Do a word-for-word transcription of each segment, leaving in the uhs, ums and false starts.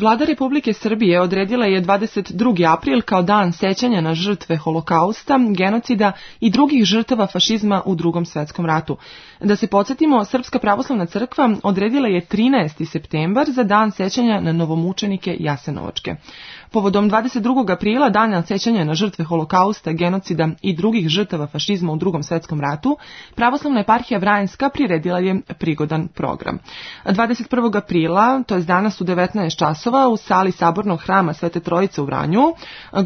Vlada Republike Srbije odredila je dvadeset drugi april kao dan sećanja na žrtve Holokausta, genocida i drugih žrtava fašizma u Drugom svetskom ratu. Da se podsjetimo, Srpska pravoslavna crkva odredila je trinaesti septembar za dan sećanja na novomučenike Jasenovačke. Povodom dvadeset drugog aprila, dana sećanja na žrtve Holokausta, genocida i drugih žrtava fašizma u Drugom svetskom ratu, Pravoslavna eparhija Vranjska priredila je prigodan program. dvadeset prvog aprila, to je danas u devetnaest časova, u sali Sabornog hrama Svete Trojice u Vranju,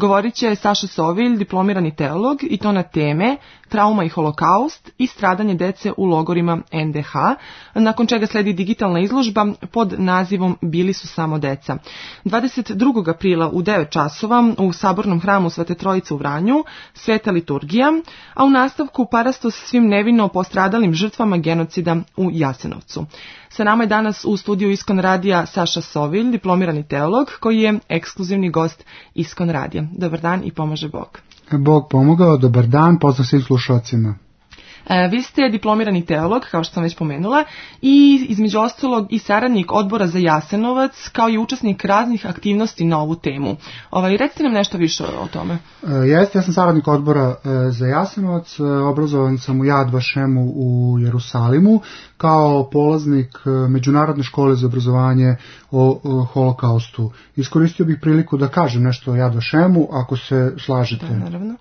govorit će Saša Sovilj, diplomirani teolog, i to na teme trauma i holokaust i stradanje dece u logorima en de ha, nakon čega sledi digitalna izložba pod nazivom Bili su samo deca. dvadeset drugog aprila u devet časova u Sabornom hramu Svete Trojice u Vranju sveta liturgija, a u nastavku parastos svim nevino postradalim žrtvama genocida u Jasenovcu. Sa nama je danas u studiju Iskon radija Saša Sovilj, diplomirani teolog, koji je ekskluzivni gost Iskon radija. Dobar dan i pomaže Bog. Bog pomogao, dobar dan, pozdrav svim slušalcima. E, vi ste diplomirani teolog, kao što sam već pomenula, i između ostalog i saradnik odbora za Jasenovac, kao i učesnik raznih aktivnosti na ovu temu. Ovaj, recite nam nešto više o tome. E, jeste, ja sam saradnik odbora e, za Jasenovac, e, obrazovan sam u Jad Vašemu u Jerusalimu, kao polaznik e, Međunarodne škole za obrazovanje o, o holokaustu. Iskoristio bih priliku da kažem nešto o Jad Vašemu, ako se slažete. Da, naravno.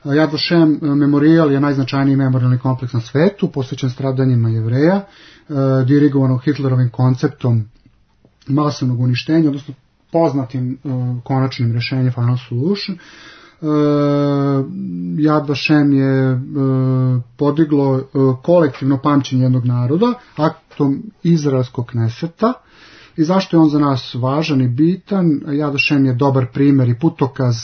Yad Vashem memorijal je najznačajniji memorijalni kompleks na svetu, posvećen stradanjima Jevreja, dirigovanog Hitlerovim konceptom masovnog uništenja, odnosno poznatim konačnim rješenjem Final Solution. Yad Vashem je podiglo kolektivno pamćenje jednog naroda aktom izraelskog Kneseta. I zašto je on za nas važan i bitan? Yad Vashem je dobar primjer i putokaz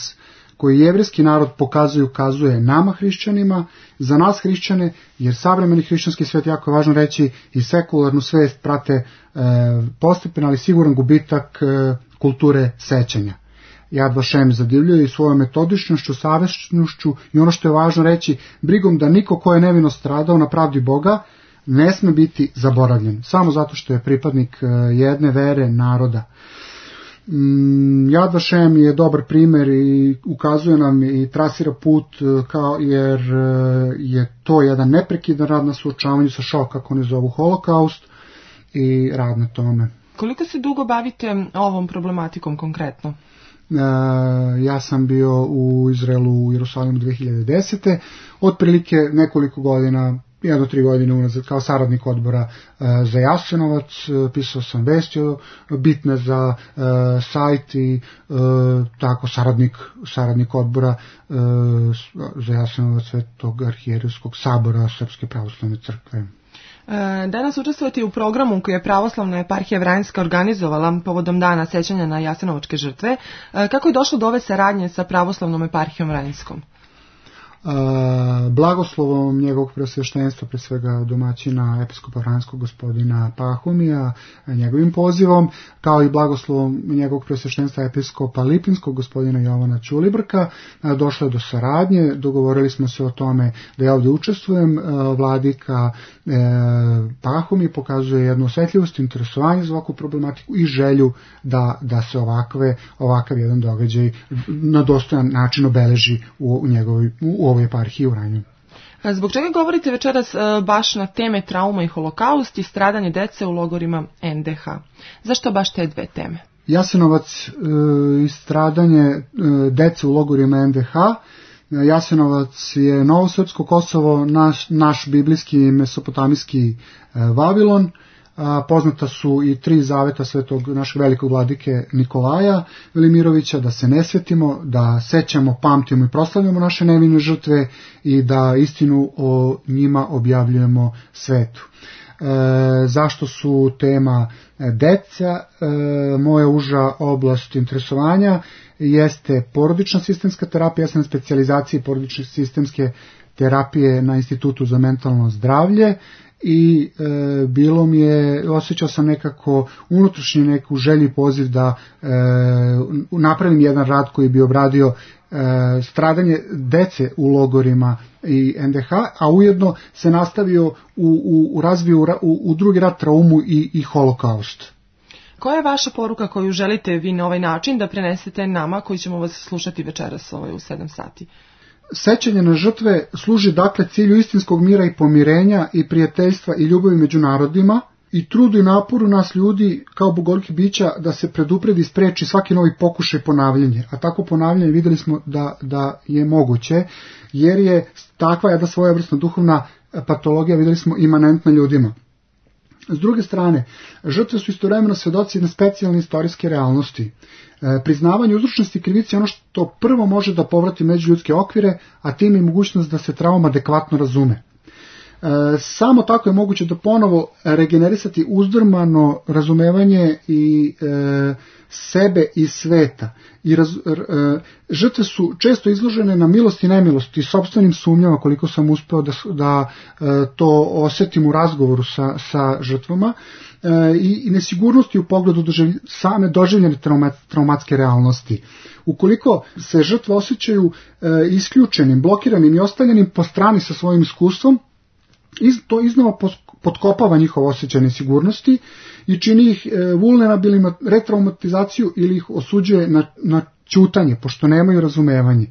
koji jevrejski narod pokazuje i ukazuje nama hrišćanima, za nas hrišćane, jer savremeni hrišćanski svet, jako je važno reći, i sekularnu svest prate e, postepen, ali siguran gubitak e, kulture sećanja. Yad Vashem zadivljuje i svojom metodičnošću, savjesnošću i ono što je važno reći, brigom da niko ko je nevino stradao na pravdi Boga ne sme biti zaboravljen, samo zato što je pripadnik e, jedne vere naroda. Yad Vashem je dobar primjer i ukazuje nam i trasira put, kao, jer je to jedan neprekidan rad na suočavanju sa šok, kako oni zovu holokaust, i rad na tome. Koliko se dugo bavite ovom problematikom konkretno? Ja sam bio u Izraelu, u Jerusalimu dve hiljade desete. Otprilike nekoliko godina, jedno tri godine unazad, kao saradnik odbora e, za Jasenovac, e, pisao sam vesti bitne za e, sajt i e, tako saradnik, saradnik odbora e, za Jasenovac Svetog arhijerejskog sabora Srpske pravoslavne crkve. Danas učestvujete u programu koji je Pravoslavna eparhija Vranjska organizovala povodom dana sećanja na jasenovačke žrtve. Kako je došlo do ove saradnje sa Pravoslavnom eparhijom Vranjskom? Blagoslovom njegovog preosveštenstva, pre svega domaćina episkopa Vranjskog gospodina Pahomija, njegovim pozivom, kao i blagoslovom njegovog preosveštenstva episkopa Lipinskog gospodina Jovana Ćulibrka, došlo je do saradnje. Dogovorili smo se o tome da ja ovdje učestvujem. Vladika Pahomij pokazuje jednu osjetljivost, interesovanje za ovakvu problematiku i želju da, da se ovakve, ovakav jedan događaj na dostojan način obeleži u, u njegovoj u ovoj eparhiji u Vranju. Zbog čega govorite večeras baš na teme trauma i holokaust i stradanje dece u logorima en de ha? Zašto baš te dve teme? Jasenovac i stradanje dece u logorima en de ha. Jasenovac je novo srpsko Kosovo, naš, naš biblijski mesopotamijski Vavilon. Poznata su i tri zaveta svetog našeg velikog vladike Nikolaja Velimirovića, da se ne svetimo, da sećamo, pamtimo i proslavljamo naše nevine žrtve i da istinu o njima objavljujemo svetu. E, zašto su tema deca? E, moja uža oblast interesovanja jeste porodična sistemska terapija, ja sam na specijalizaciji porodične sistemske terapije na Institutu za mentalno zdravlje. I e, bilo mi je, osjećao sam nekako unutrašnji neku želju i poziv da e, napravim jedan rad koji bi obradio e, stradanje dece u logorima i en de ha, a ujedno se nastavio u, u, u razviju u, u drugi rad traumu i, i holokaust. Koja je vaša poruka koju želite vi na ovaj način da prenesete nama koji ćemo vas slušati večeras ovaj, u sedam sati? Sećanje na žrtve služi dakle cilju istinskog mira i pomirenja i prijateljstva i ljubavi među narodima i trudu i naporu nas ljudi kao bogoljkih bića da se predupredi i spreči svaki novi pokušaj ponavljanja. A tako ponavljanje videli smo da, da je moguće, jer je takva jedna svojevrsna duhovna patologija, videli smo, imanentna ljudima. S druge strane, žrtve su istovremeno svedoci jedne specijalne istorijske realnosti. E, priznavanje uzročnosti krivice je ono što prvo može da povrati međuljudske okvire, a tim je mogućnost da se trauma adekvatno razume. E, samo tako je moguće da ponovo regenerisati uzdrmano razumevanje i e, sebe i sveta. I raz, e, žrtve su često izložene na milost i nemilost i sopstvenim sumnjama, koliko sam uspeo da, da e, to osjetim u razgovoru sa, sa žrtvama, e, i, i nesigurnosti u pogledu doživlj, same doživljene trauma, traumatske realnosti. Ukoliko se žrtve osjećaju e, isključenim, blokiranim i ostavljenim po strani sa svojim iskustvom, Iz, to iznova potkopava njihov osjećaj nesigurnosti i čini ih e, vulnerabilnima, retraumatizaciju ili ih osuđuje na, na ćutanje, pošto nemaju razumevanje.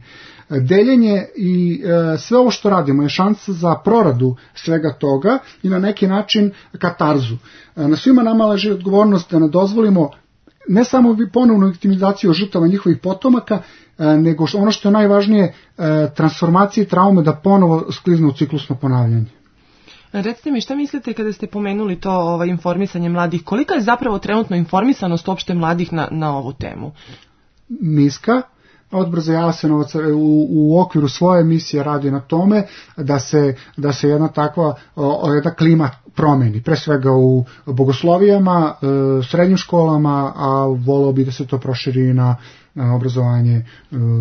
E, deljenje i e, sve ovo što radimo je šansa za proradu svega toga i na neki način katarzu. E, na svima nama leži odgovornost da ne dozvolimo ne samo ponovnu viktimizaciju žrtava njihovih potomaka, e, nego što, ono što je najvažnije, e, transformacije i traume da ponovo skliznu u ciklusno ponavljanje. Recite mi, šta mislite kada ste pomenuli to ovaj, informisanje mladih? Kolika je zapravo trenutno informisanost uopšte mladih na, na ovu temu? Niska. Odbor za Jasenovac u, u okviru svoje misije radi na tome da se, da se jedna takva o, jedna klima promeni. Pre svega u bogoslovijama, e, srednjim školama, a voleo bi da se to proširi na, na obrazovanje e,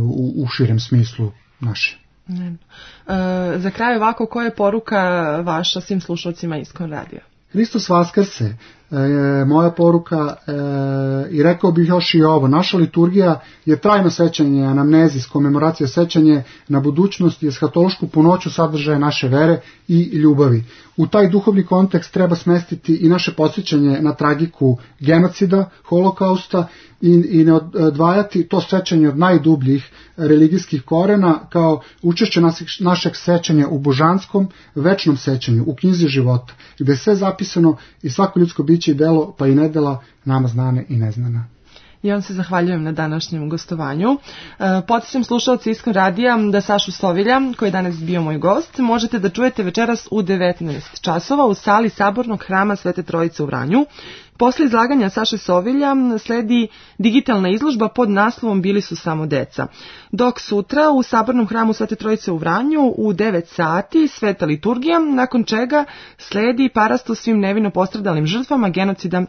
u, u širem smislu naše. Ne. E, za kraj ovako, koja je poruka vaša svim slušalcima Iskon radija? Hristos vaskrse, e, moja poruka, e, i rekao bih još i ovo, naša liturgija je trajno sećanje, anamnezis, komemoracija, sećanje na budućnost i eshatološku punoću sadržaja naše vere i ljubavi. U taj duhovni kontekst treba smestiti i naše podsjećanje na tragiku genocida, holokausta i, i ne odvajati to sećanje od najdubljih religijskih korena kao učešće našeg sećanja u božanskom, večnom sećanju, u knjizi života, gde je sve zapisano i svako ljudsko biće i delo, pa i nedela, nama znane i neznana. Ja vam se zahvaljujem na današnjem gostovanju. Podsjećam slušalci Iskon radija da Sašu Sovilja, koji je danas bio moj gost, možete da čujete večeras u devetnaest časova u sali Sabornog hrama Svete Trojice u Vranju. Posle izlaganja Saše Sovilja sledi digitalna izložba pod naslovom Bili su samo deca. Dok sutra u Sabornom hramu Svete Trojice u Vranju u devet sati sveta liturgija, nakon čega sledi parasto svim nevino postradalim žrtvama genocida